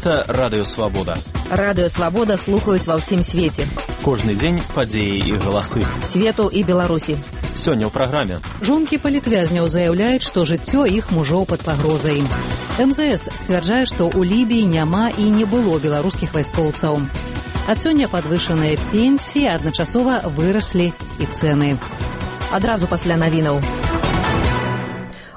Гэта Радыё Свабода. Радыё Свабода слухаюць ва ўсім свеце. Кожны дзень падзеі і галасы. Свету і Беларусі. Сёння ў праграме. Жонкі палітвязняў заяўляюць, што жыццё іх мужоў пад пагрозай. МЗС сцвярджае, што ў Лібіі няма і не было беларускіх вайскоўцаў. Ад сёння падвышаныя пенсіі, адначасова выраслі і цэны. Адразу пасля навінаў.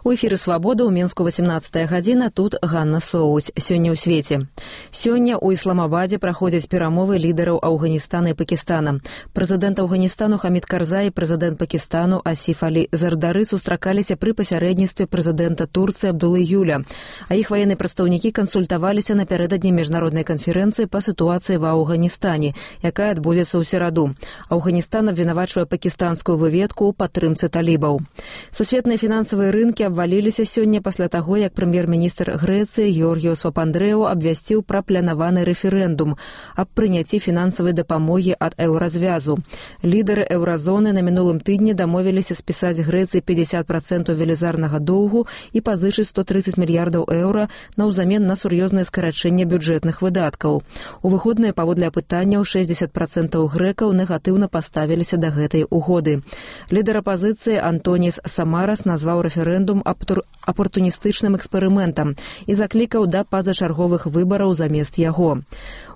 У эфіры «Свабода» ў Мінску 18 гадзіна, тут Ганна Соусь. Сёння ў свеце. Сёння ў Ісламабадзе праходзяць перамовы лідараў Афганістана і Пакістана. Прэзідэнт Афганістану Хамід Карзай і прэзідэнт Пакістану Асіф Алі Зардары сустракаліся пры пасярэдніцтве прэзідэнта Турцыі Абдулы Юля, а іх ваенныя прадстаўнікі кансультаваліся напярэдадні міжнароднай канферэнцыі па сітуацыі ва Афганістане, якая адбудзецца ў сераду. Афганістан абвінавачвае пакістанскую выведку ў падтрымцы талібаў. Сусветныя фінансавыя рынкі абваліліся сёння пасля таго, як прэм'ер-міністр Грэцыі Георгіос Папандрэу абвясціў пра планаваны рэферэндум аб прыняцці фінансавай дапамогі ад еўразвязу. Лідары еўразоны на мінулым тыдні дамовіліся спісаць Грэцыі 50% велізарнага доўгу і пазычыць 130 мільярдаў еўра наўзамен на сур'ёзнае скарачэнне бюджэтных выдаткаў. У выходныя паводле апытанняў 60% грэкаў негатыўна паставіліся да гэтай угоды. Лідар апазіцыі Антоніс Самарас назваў рэферэндум апартуністычным эксперыментам і заклікаў да пазачарговых выбараў замест яго.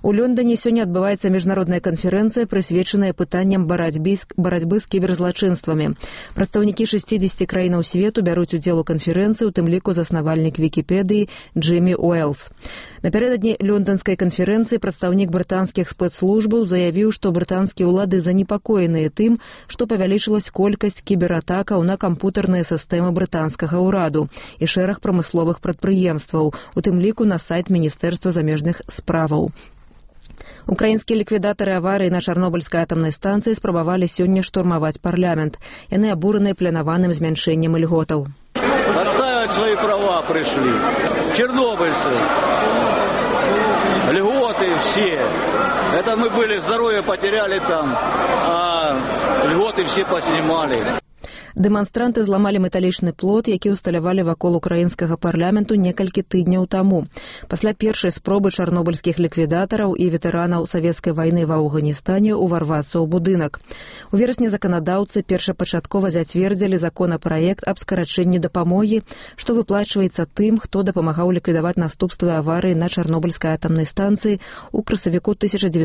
У Лондоне сёння адбываецца міжнародная канферэнцыя, прысвечаная пытанням барацьбы з кіберзлачынствамі. Прадстаўнікі 60 краінаў свету бяруць удзел у канферэнцыі, у тым ліку заснавальнік Вікіпедыі Джиммі Уэллс. Напярэдадні лондонскай канферэнцыі прадстаўнік брытанскіх спецслужбаў заявіў, што брытанскія ўлады занепакоеныя тым, што павялічылась колькасць кібератакаў на кампутарныя сістэмы брытанскага ўраду і шэраг прамысловых прадпрыемстваў, у тым ліку на сайт Міністэрства замежных справаў. Украінскія ліквідатары аварыі на Чарнобыльскай атамнай станцыі спрабавалі сёння штурмаваць парламент. Яны абураныя планаваным змяншэннем ільготаў. Отстаивать свои права пришли. Чернобыльцы. Льготы все. Это мы были, здоровье потеряли там, а льготы все поснимали. Дэманстранты зламалі металічны плот, які ўсталявалі вакол украінскага парламенту некалькі тыдняў таму. Пасля першай спробы чарнобыльскіх ліквідатараў і ветэранаў савецкай вайны ва Афганістане уварвацца ў будынак. У верасні заканадаўцы першапачаткова зацвердзілі законапраект аб скарачэнні дапамогі, што выплачваецца тым, хто дапамагаў ліквідаваць наступствы аварыі на Чарнобыльскай атамнай станцыі ў красавіку 1986